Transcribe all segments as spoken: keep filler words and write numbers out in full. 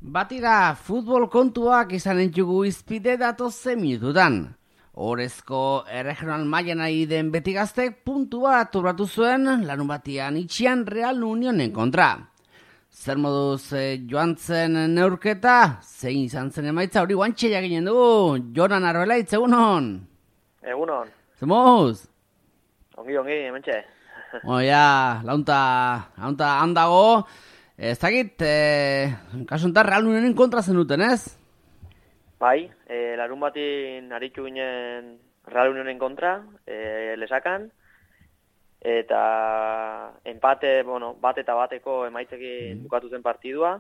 Batira, futbol kontuak izan entzugu izpide datoze minututan. Horezko erregional mailan ari den beti gaztek puntua turratu zuen larun batian itxian Real Unionen kontra. Zer moduz eh, joan zen neurketa, zein izan zen emaitza hori guantxe jaginen dugu, Jonan Arbelaitz, egunon? Egunon. Zemuz? Ongi, ongi, hementxe. Oia, launta, launta handago, ez dakit, eh, kasuntan Real Unionen kontra zenuten, ez? Bai, e, larun batin aritu ginen Real Unionen kontra, e, lesakan, eta empate, bueno, bat eta bateko emaitzekin bukatu zen partidua,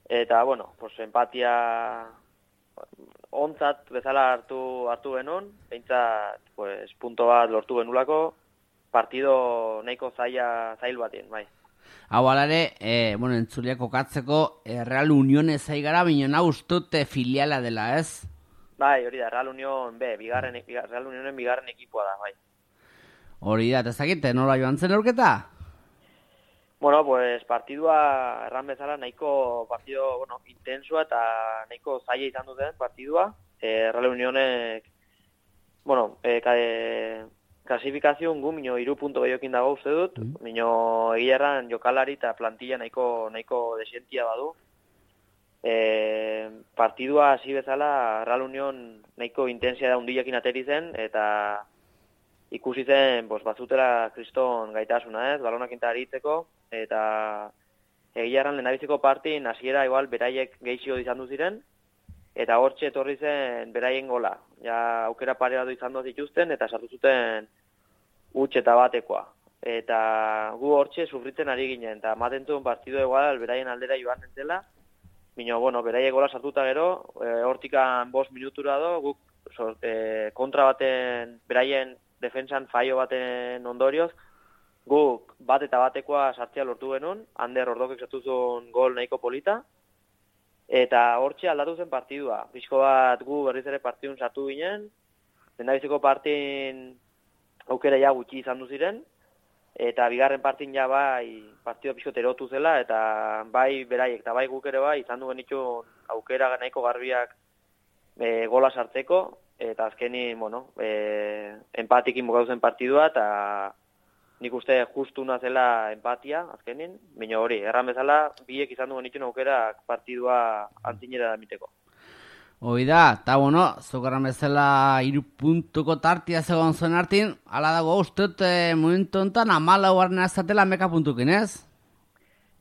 eta, bueno, pues empatia ontzat bezala hartu hartu genuen, behintzat, pues, punto bat lortu genulako, partido nahiko zaila, zail batien, bai. Hau alare, e, bueno, entzuliak kokatzeko, e, Real Unione zaigara, binona ustute filiala dela, ez? Bai, hori da, Real Union B, bigarren, Real Unionen bigarren ekipoa da, bai. Hori da, ezagite, nola joan zen aurketa? Bueno, pues partidua erran bezala nahiko partido, bueno, intensua eta nahiko zaila izan duten partidua. E, Real Unionek, bueno, e, e, klasifikazioan gu minio iru punto gehiokin dago uste dut, mm. minio egia erran jokalari eta plantilla nahiko, nahiko desientia badu. E, partidua hasi bezala Real Union nahiko intensia da hundilekin ateri zen, eta ikusi zen pues, bazutela kriston gaitasuna, ez, balonak inta aritzeko, eta egia erran lehendabiziko partin hasiera igual beraiek gehixio izan du ziren, eta hortxe etorri zen beraien gola. Ja aukera pare bat izan dut dituzten, eta sartu zuten huts eta batekoa. Eta gu hortxe sufritzen ari ginen, eta ematen zuen partidu egual beraien aldera joan entzela, bino, bueno, beraiek gola sartuta gero, e, hortikan bost minutura do, guk so, e, kontra baten, beraien defensan faio baten ondorioz, guk bat eta batekoa sartzea lortu genuen, Ander Ordokek sartu zuen gol nahiko polita, eta hortxe aldatu zen partidua. Pixko bat gu berriz ere partidun sartu ginen, lehendabiziko partin aukera ja gutxi izan du ziren, eta bigarren partin ja bai partidua pixko erotu zela, eta bai beraiek eta bai guk ere bai izan duen itxun aukera nahiko garbiak e, gola sartzeko, eta azkenin, bueno, e, empatikin bukatu zen partidua, eta nik uste justuna zela empatia, azkenin, baina hori, erran bezala, biek izan duen itxun aukerak partidua antzinera da miteko. Hoi da, eta bueno, zukarran bezala iru puntuko tartia zegoen zuen hartin, ala dago usteot e, momentu enten amala huarna ezatela meka puntukin, ez?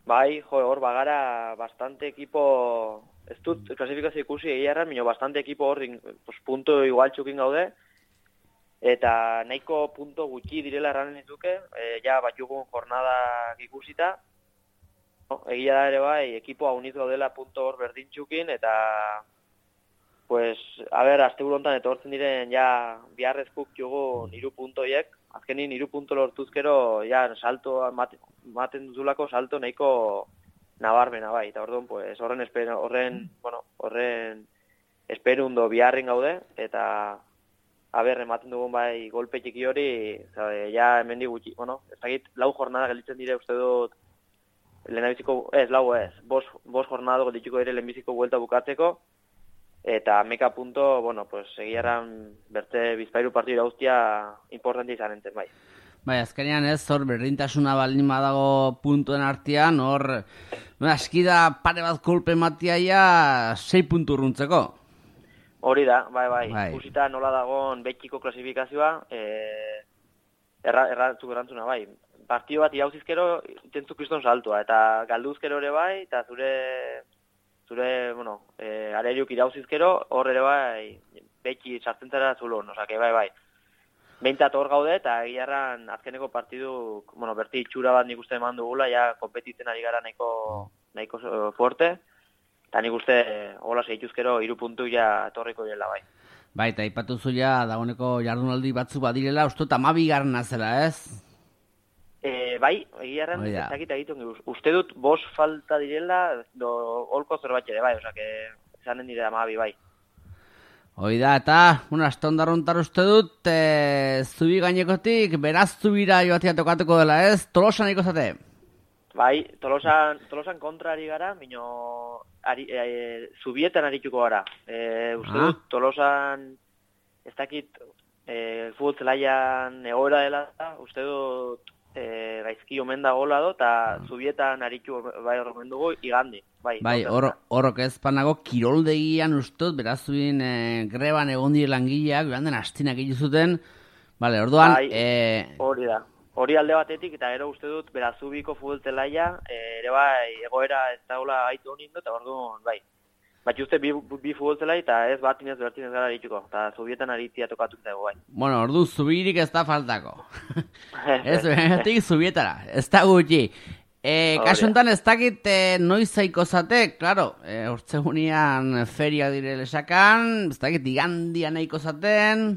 Bai, jo, hor bagara bastante ekipo, ez dut klasifikazio ikusi egia erran, baina bastante ekipo hor pues, puntu igual txukin gaude, eta nahiko punto gutxi direla erranen dituke, e, ja batxugun jornadak ikusita, no, egia da ere bai, ekipoa uniz gaudela punto hor berdintxukin, eta pues, a ber, azte burontan etortzen diren ja biharrezkuk jugun iru puntoiek, azkenin iru punto lortuzkero ja salto, maten duzulako salto nahiko nabarmena bai, eta orduan, pues, horren espero, horren, bueno, horren esperundo biharrin gaude, eta a ber, ematen dugun bai golpe txiki hori, zabe, ja hemendi gutxi, bueno, ez dakit, lau jornada gelditzen dire uste dut lehenabiziko, ez, lau ez, bos, bos jornada gelditxiko dire lehenbiziko buelta bukatzeko, eta meka punto, bueno, pues, egiarran berte bizpairu partidu irauztia importante izan enten, bai. Bai, azkenean ez, hor, berdintasuna baldin badago puntuen artean, hor, no, askida pare bat kolpe matiaia sei puntu urruntzeko. Hori da, bai, bai, bai. Ikusita nola dagoen betxiko klasifikazioa, e, erra, errantzuk erantzuna, bai. Partido bat irauzizkero, intentzu kriston saltua, eta galduzkero ere bai, eta zure, zure, bueno, e, areriuk irauzizkero, hor ere bai, betxi sartzen zara zulon, osake, bai, bai. Behintzat hor gaude, eta egiarran azkeneko partidu, bueno, berti itxura bat nik uste eman dugula, ja, kompetitzen ari gara nahiko, nahiko fuerte, eta nik uste, hola zeituzkero, iru puntu ja etorriko direla, bai. Bai, eta ipatu zuia, dagoeneko jardunaldi batzu badirela, uste dut amabigarna zela, ez? E, bai, egiarran, ez dakit egiten, uste dut bos falta direla, do holko zerbait ere, bai, osake, zanen dire amabi, bai. Hoi da, eta, una, astondarrontar uste dut, e, zubi gainekotik, beraz zubira joatia tokatuko dela, ez? Tolosan iko zate? Bai, Tolosan, Tolosan kontra ari gara, mino ari, e, zubietan arituko gara. E, uste dut, ah. Tolosan ez dakit e, futbol zelaian egoera dela, uste dut e, gaizki omen da gola do, eta zubietan aritu bai horremen dugu igandi. Bai, bai horrok ez panago kiroldegian ustut, beraz zuen e, greban egon dire langileak, beran den astinak egizuten, bale, orduan... Bai, e... hori da. Hori alde batetik, eta gero uste dut, berazubiko futbol zelaia, ere bai, egoera ez daula gaitu honin dut, eta orduan, bai. Bat uste bi, bi futbol zelai, eta ez bat inez bertin ez gara arituko, eta zubietan aritzia tokatu dago, bai. Bueno, ordu, zubirik ez da faltako. Ez, benetik zubietara, ez da gutxi. E, kasuntan ez dakit e, noiz zaiko zate, klaro, e, urtsegunian feria dire lesakan, ez dakit igandian nahiko zaten...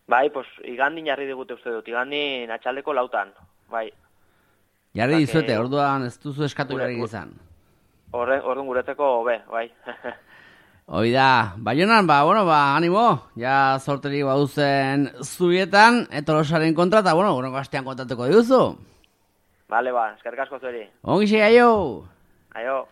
Bai, pues igandin jarri digute uste dut, igandin atxaldeko lautan, bai. Jarri dizuete, orduan ez duzu eskatu jarri izan. Orduan guretzeko, be, bai. Hoi da, Baionan, ba, bueno, ba, animo, ja sorteri baduzen zubietan, Tolosaren kontra, eta, bueno, gure gastean kontatuko diguzu. Bale, ba, eskerrik asko zueri. Ongi xe, aio! Aio.